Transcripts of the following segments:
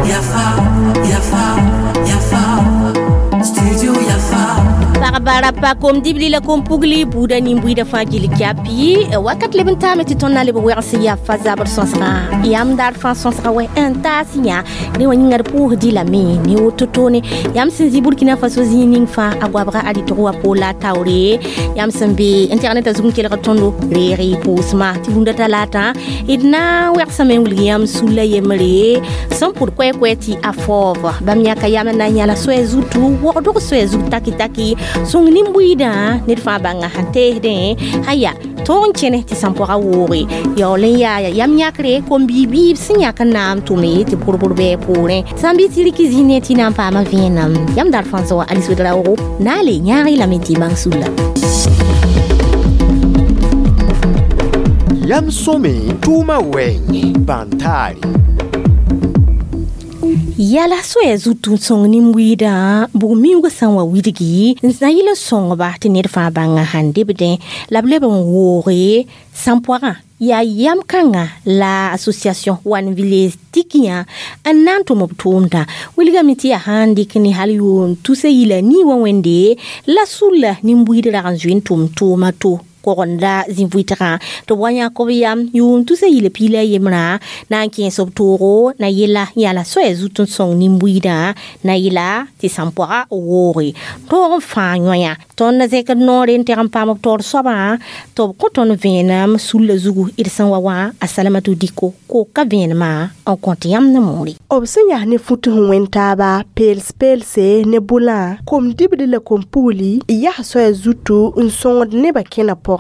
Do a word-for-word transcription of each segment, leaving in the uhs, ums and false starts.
Yafa, Yafa, Yafa, Studio Yafa. Pagbara pa kom dibli la kom pugli buda nin-buiida fãa gill kyapi wakat leb n taame tɩ tõnd na n leb wɛgs yafa zabr sõsgã yam daar fãa sõsga wɛ n taas yã rẽ wã yĩnga d pʋʋsdɩ lame ne woto toone yãmb sẽn zĩ Burkina Faso zĩig ning fãa a goabga a rɩtg wa poola taoore yãmb sẽn be internetã zug n kelg tõndo reeg y pʋʋsmã tɩ rũndã talaatã d na n wɛgsame n wilg yãmb sulla yembre sẽn pʋd koɛɛ-koɛɛ tɩ a faoob bãmb yãka yam n na n yãla soɛɛ zutu wogdg soɛɛ zug taki taki sõng nin-buiidã ned fãa bãnga sẽn teesdẽ aya tõog n kẽne tɩ sãn-pɔga wooge yaool n yaa yam yãkre kom-bii-biib sẽn yãk n na n tʋme tɩ bʋr-bʋr bɩ poorẽ sã n bɩ tɩ rɩk zĩig ne tɩ na n paama vẽenem yam dar fãa zoa Alice Ouedraogo na n le yãag y lame tɩ y bãng sulla. Yam sõme tʋʋmã wɛɛngẽ bãn-taare. Yala soɛɛ zutu n sõng nin-buiidã bug-miuugã sã n wa widgi n na yɩl n sõngba tɩ ned fãa bãnga sãn debdẽ la b leb n wooge sãn-poagã yaa yam kãnga la association One Village tikiyã n na n tʋm b tʋʋmdã wilgame tɩ yaa sãn dɩk ne hal yʋʋm tusa yila nii wã wẽnde la sulla nin-buiid rag n zoe n tʋm tʋʋma to kogenda zĩ-vʋɩtgã tɩ b wa yãk b yam yʋʋm tusa yila piila a yembrã na n kẽes b toogo na yela yala soɛɛ zut n sõng nin-buiidã na yela tɩ sãn-poaga wooge tõog n fãa yõa tõnd na zẽkd noore n teg n paam b taoor soabã tɩ b kõ tõnd vẽenem sulla zugu d sẽn wa wã a Salamatu Diko koka vẽenemã n kõt yãmb ne moore. B sẽn yas ne fut sẽn wẽnd taaba peels-peelse ne bʋlã kom dibd la kom pugli yaa soɛɛ zutu n sõngd nebã kẽna pʋgẽ.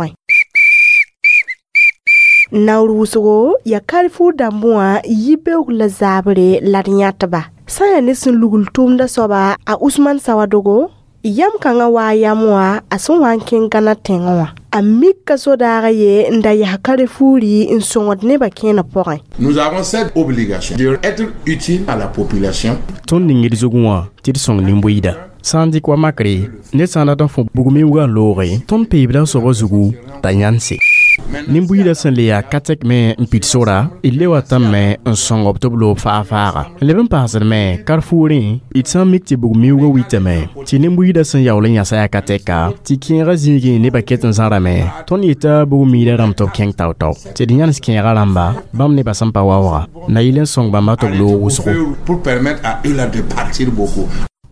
Naoor wʋsgo yaa Carrefour dãmb wã yi-beoog la zaabre la d yãtba sã n yaa ne sẽn lugl tʋʋmdã soaba a Usman Sawadogo yam kãngã waa yam wã a sẽn wa n kẽng Gãna tẽngẽ wã a mika sodaagã ye n da yaa Carrefouri n sõngd nebã kẽenã pʋgẽ. Nous avons cette obligation d'être utile à la population. Tõnd ning d zugẽ wã tɩ d sõng nin-buiida sã n dɩk wa makre ned sã n dat n fõ bug-miuugã n looge tõnd peebda soabã zugu t'a yãnse nin-buiidã sẽn le yaa ka-tɛk me n pid sora d le wa tãmme n sõng b tɩ b loog faa-faaga n leb n paasd me Carrefourẽ d sã n mik tɩ bug-miuugã witame tɩ nin-buiidã sẽn yaool n yãsa yaa ka-tɛka tɩ kẽegã zĩigẽ nebã ket n zãrame tõnd yeta bug-miidã rãmb tɩ b kẽng tao-tao tɩ d yãnes kẽegã rãmba bãmb nebã sẽn pa waooga na yɩl n sõng bãmba tɩ b loog wʋsgo. Pour permettre à eux là de partir beaucoup.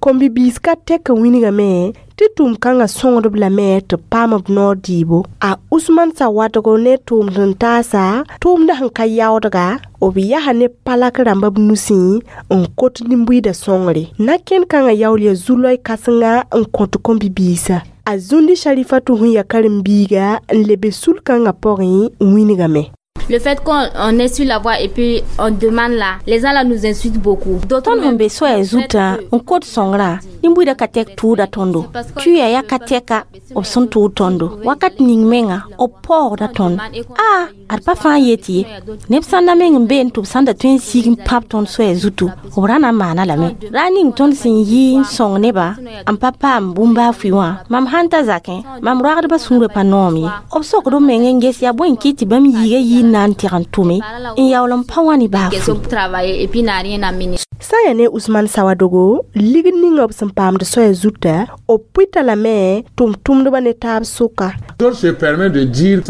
Kom-bibiis ka tɛk n wilgame tɩ tʋʋm-kãngã sõngdb lame tɩ b paam b noor dɩɩbo a Usman Sawadogo ne tʋʋmd n taasa tʋʋmdã sẽn ka yaoodga b yaa ne palak rãmba b nusẽ n kot nin-buiidã sõngre na-kẽnd kãngã yaool yaa zu-loy kãsenga n kõt kom-bibiisã a Zũndi Sharifatu sẽn yaa karen-biiga n lebe sul-kãngã pʋgẽ wilgame. Le fait qu'on est sur la voie et puis on demande là, les gens là nous insultent beaucoup. Tõnd sẽn be soɛɛ zutã n kot sõngrã nin-buiidã ka tɛk tʋʋda tõndo tuya yaa ka tɛka b sẽn tʋʋd tõndo wakat ning menga b paoogda tõnd a ad pa fãa yet ye neb sãnda meng n be n tɩ b sãn da tõe n sig n pãb tõnd soɛɛ zutu b ra na n maana lame ra ning tõnd sẽn yi n sõng nebã n pa paam bũmb-baa fʋɩ wã mam sãn ta zakẽ mam roagdbã sũurã pa noom ye b sokd b meng n ges yaa bõe n kɩt tɩ bãmb yiiga yi n na n tɩg n tʋme n yaool n pa wã ne baa fʋɩ. Sã n yaa ne Usman Sawadogo ligd ninga b sẽn paamd soɛɛ zuta b pʋɩta lame tʋm-tʋmdbã ne taab sʋka.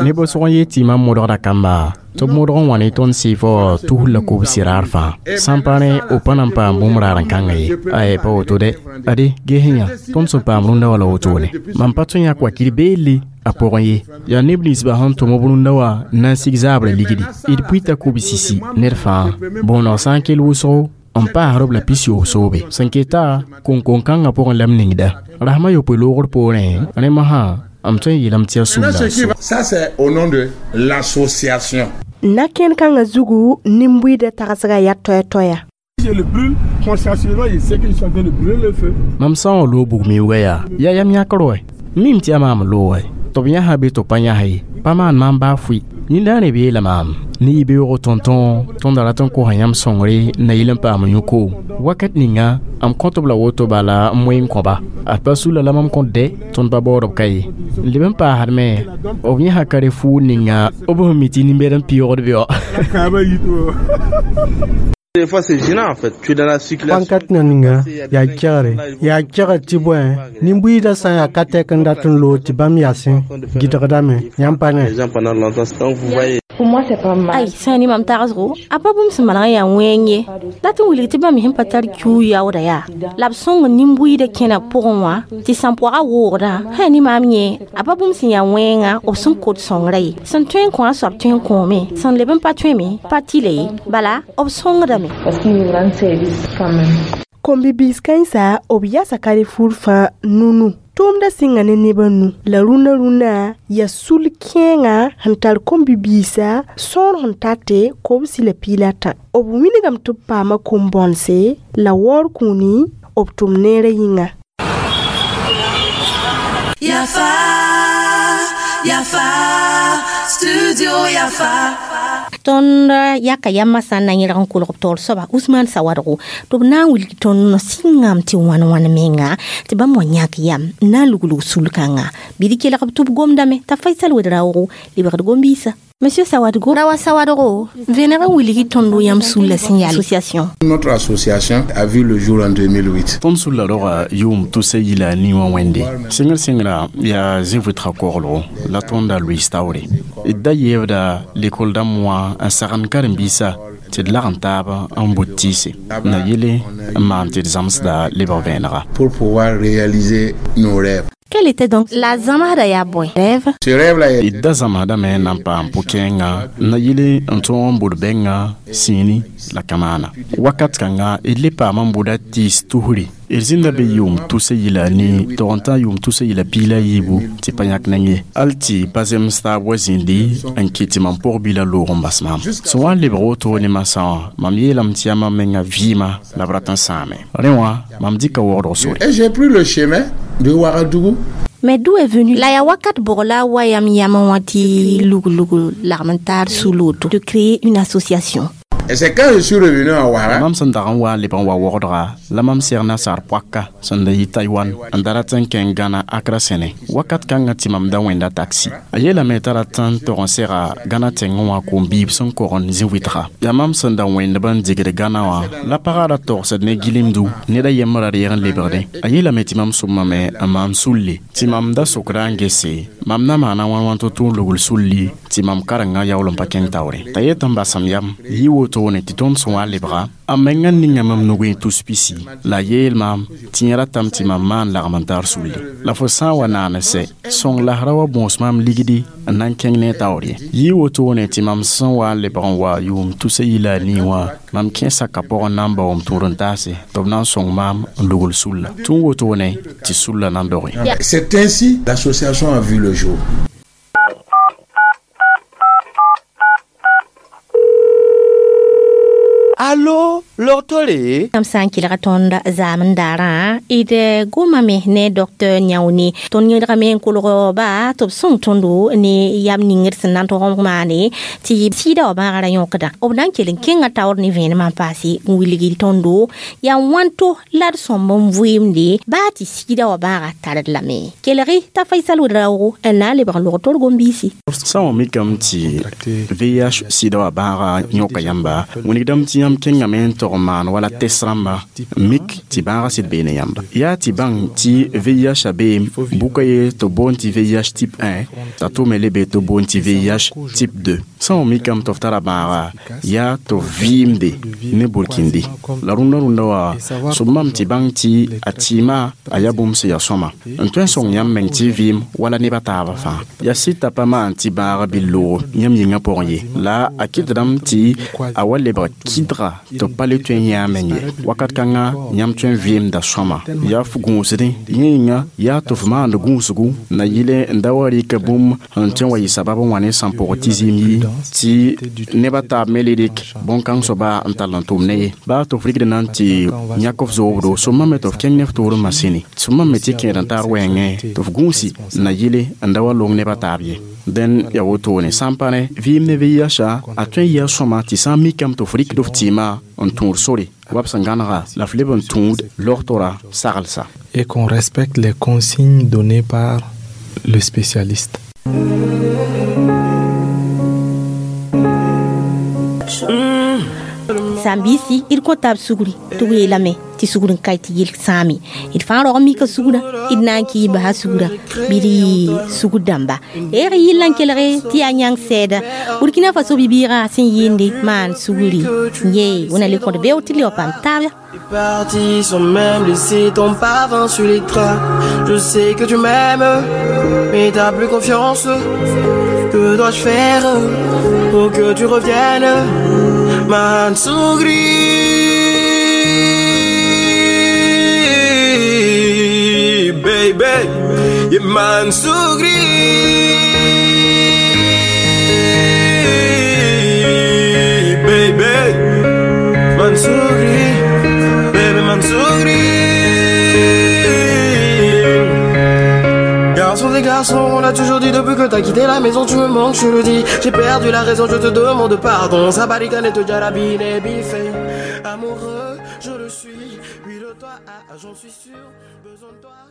Neb sʋg n yet tɩ mam modgda kamba tɩ b modg n wa ne tõnd sɩɩfɔ tus la kobs raar fãa sãn pa rẽ b pa na n paam bũmb raar n kãnga ye ay pa woto dɛ ade ges yã tõnd sẽn paam rũndã wala wotone mam pa tõe n yãk wakir beelle a pʋgẽ ye yaa neb ninsbã sẽn tʋm b rũndã wã na n sig zaabrã ligdi d pʋɩta kobs-sisi ned fãa bõoneg sã n kell wʋsgo n paasd b la pis-yoob soobe sẽn keta koŋ-koŋ-kãngã pʋgẽ la m ningda rasmã yopoe loogr poorẽ rẽ mosã m tõe n yeelame tɩ yaa Maintenant, ce qui sũnda va- Ça, c'est au nom de l'association. Na-kẽnd kãngã zugu nin-buiidã tagsga yaa toɛ-toɛya. Je le brûle consciencieusement, je sais que je suis en train de brûler le feu. Mam sã n wa loog bug-miuugã yaa yaa yam yãkr wɛ mim tɩ yaa maam loogɛ tɩ b yãsã be tɩ b pa yãs ye pa maan maam baa fʋɩ yĩndaane be yeela maam ne y beoogo tõn-tõo tõnd rat n kosa yãmb sõngre na yɩl n paam yũ-koom wakat ninga Am kõt b la woto bala n moe n kõba ad pa sulla la mam kõt dɛ tõnd pa baood b ka ye n leb n paasdme b yẽsa Carrefour ninga b sẽn mi tɩ nin-bɛd n pɩʋgd bɩ wa. Des fois, c'est gênant en fait. Tu es dans la circulation. Pãn ka ninga yaa kegre yaa kegr tɩ bõe nin-buiidã sã n yaa ka tɛk n dat n loog tɩ bãmb yasẽ gɩdgdame yãmb pa ne. Les gens pendant longtemps. Donc vous voyez. Pour moi, c'est pas mal. Ai sã ne mam tagsgo a pa bũmb sẽn maneg n yaa wẽng ye la tɩ wilg tɩ bãmb sẽn pa tar kiu yaooda yaa la b sõng nin-buiidã kẽna pʋgẽ wã tɩ sãn-poagã woogdã sã ne maam yẽ a pa bũmb sẽn yaa wẽnga b sẽn kot sõngrã ye sẽn tõe n kõ a soab tõe n kõome sẽn leb n pa tõeme pa tɩla ye bala b sõngdame. Parce qu'ils nous rendent service quand même. Kom-bibiis kãensa b yasa Carrefour fãa nunu tʋʋmdã sɩnga ne nebã nu la rũnã rũnã yaa sul kẽenga sẽn tar kom-bibiisã sõor sẽn tate kobsi la piila tã b wilgame tɩ b paama kom-bõnse la waoor kũuni b tʋm neerã yĩnga. Yafa, Yafa, Studio Yafa. Tõnd yaka yambã sã n na yẽlg n kolg b taoor soaba Usman Sawadgo tɩ b na n wilg tõnd sĩngame tɩ wãn wãn menga tɩ bãmb wa yãk yam n na n luglg sul-kãnga bɩ d kelg b tɩ b gomdame t'a Faisal Wedraoogo lebgd gom-biisã. Monsieur Sawadgo, Rawa Sawadgo, venez wilgi tondo yam sulla sẽn yaa association. Notre association a vu le jour en deux mille huit. Tõnd sulla roga yʋʋm tʋsa yila ni wã wẽnde sẽngr sẽngra yaa zĩ-vɩtga koglgo la tõnda Louis taoore d da yeebda lekol dãmb wã n sagend karen-biisã tɩ d lag n taab n bʋt tɩɩse na yele n maan tɩ d zãmsda lebg vẽenega. Pour pouvoir réaliser nos rêves. Quel était donc la zamada ya boy rêve? Ce rêve là d da zãmsdame n na n paam pʋ-kẽenga na yele n tõog n bʋd bɛnga sĩini la kamaana wakat kãnga d le paam n bʋda tɩɩs tusri d zĩnda be yʋʋm tʋsa yila ni tog n tã yʋʋm tʋsa yila piila yiibu tɩ pa yãk neng ye hal tɩ pa zems taab wa zĩndi n kɩt tɩ mam pʋg-bila loog n bas maam sẽn wa n lebg woto ne masã wã mam yeelame tɩ yaa mam menga vɩɩma la b rat n sãame rẽ wã mam dɩka waoodg sore. Et j'ai pris le chemin de Ouagadougou. Mais d'où est venu la ya wakat bogla wayam yama wati lug lug lagmentar sous l'auto de créer une association. Et c'est quand je suis revenu à Ouara. Mam sẽn dag n wa n leb n wa waoodga la mam seg nasaar poaka sẽn da yɩ Taïwan n da rat n kẽng Gãna Akra sẽne wakat kãngã tɩ mam da wẽnda taxi a yeelame t'a rat n tog n sega Gãna tẽngẽ wã kom-biib sẽn kog n zĩ-wɩtga yaa mam sẽn da wẽndb n digd Gãna wã la pagã ra togsd ne gilemdu ned a yembr ra reeg n lebgdẽ a yeelame tɩ mam sʋmame n maan sulle tɩ mam da sokda n gese mam na maana wãn wãn tɩ tʋ n lugl sulli tɩ mam karengã yaool n pa kẽng taoore t'a yet n basam yam yɩ wotone tɩ tõnd sẽn wa lebga a menga ninga mam nugẽ tus pisi la yeel maam tɩ yẽ ratame tɩ mam maan lagm n tar sulle la fo sã n wa naan sɛ sõng lasra wa bõos maam ligdi n na n kẽng ne taoor ye yɩ wotone tɩ mam sẽn wa n lebg n wa yʋʋm tʋsa yila a nii wã mam kẽ saka pʋgẽ na n baoom tũud n taase tɩ b na n sõng maam n lugl sulla tũ wotone tɩ sulla na n doge. C'est ainsi l'association a vu le jour. Allo, lortole? Am sã n kelga tõnd zaam n daarã d gomame ne docteur Nyaoune tõnd yẽdgame n kolg ba tɩ b sõng tõndo ne yam ning d sẽn na n tog n maane tɩ sɩɩda wã bãaga ra yõkda b na n kell n kẽnga taoor ne vẽenemã n paase n wilg tõndo yaa wãnto la d sõmb n vɩɩmde baa tɩ sɩɩda wã bãaga tard lame kelgi t'a Faisal Wedraoogo n na n lebg n log tord gom-biisi. Sã n wa mikame tɩ V I H sɩɩda wã bãaga yõka yãmba wilgdame tɩ yãmb kẽngame n tog n maan wala test rãmba mik tɩ bãagã sɩd beene yãmba yaa tɩ bãng tɩ V I H a beem bʋka ye tɩ boond tɩ V I H type un t'a tʋme le be tɩ boond tɩ V I H type deux sã n wa mikame tɩ f tara bãaga yaa tɩ f vɩɩmde ne burkindi la rũndã rũndã wã sʋb mam tɩ bãng tɩ a tɩɩmã a yaa bũmb sẽn yaa sõma n tõe n sõng yãmb meng tɩ vɩɩm wala nebã taabã fãa yaa sɩd t'a pa maan tɩ bãaga bɩ loog yãmb yĩngã pʋgẽ ye la a kɩtdame tɩ a wa lebg kɩdga tɩ b pa le tõe n yã a meng ye wakat kãngã yãmb tõe n vɩɩmda sõma yaa f gũusdẽ yẽ yĩnga yaa tɩ f maand gũusgu na yɩle n da wa rɩka bũmb sẽn tõe n wa yɩ sabab n wa ne sãn-pʋgẽ tɩ zĩim yi tɩ nebã taab me le rɩk bõn-kãng soaba n tall n tʋm ne ye baa tɩ f rɩkd na n tɩ yãk f zoobdo sõma me tɩ f kẽng ne f toor n masẽne sõma me tɩ kẽed n taar wɛɛngẽ tɩ f gũusi na yɩle n da wa long nebã taab ye dẽn yaa wotone sã n pa ne vɩɩm ne V I H a tõe n yɩa sõma tɩ sã n mikame tɩ f rɩkd f tɩɩmã n tũud sore Wa b sẽn gãnega la f leb n tũud logtora saglsa. Et qu'on respecte les consignes données par le spécialiste. Sãn-biisi d kõta b sugri tɩ b yeelame tɩ sugr n ka tɩ yel sãame d fãa rog mika sugrã d na n kɩ basa sugrã bɩ d sugr dãmba eeg yɩl n kelge tɩ yaa yãng sɛɛda Burkina Faso bi-bɩɩgã sẽn yɩɩnde maan sugri ye wẽna le kõt beo tɩ le wa paam taaba. Parti sans même laisser ton parfum sur les draps. Je sais que tu m'aimes, mais t'as plus confiance. Que dois-je faire pour que tu reviennes? Mansougri, baby, yeah, Mansougri, baby, Mansougri. Baby Mansougri. Garçon des garçons, on l'a toujours dit depuis que t'as quitté la maison, tu me manques, je le dis. J'ai perdu la raison, je te demande pardon. Sabarikane te jarabine et biffé. Amoureux, je le suis, oui de toi, ah, j'en suis sûr. Besoin de toi.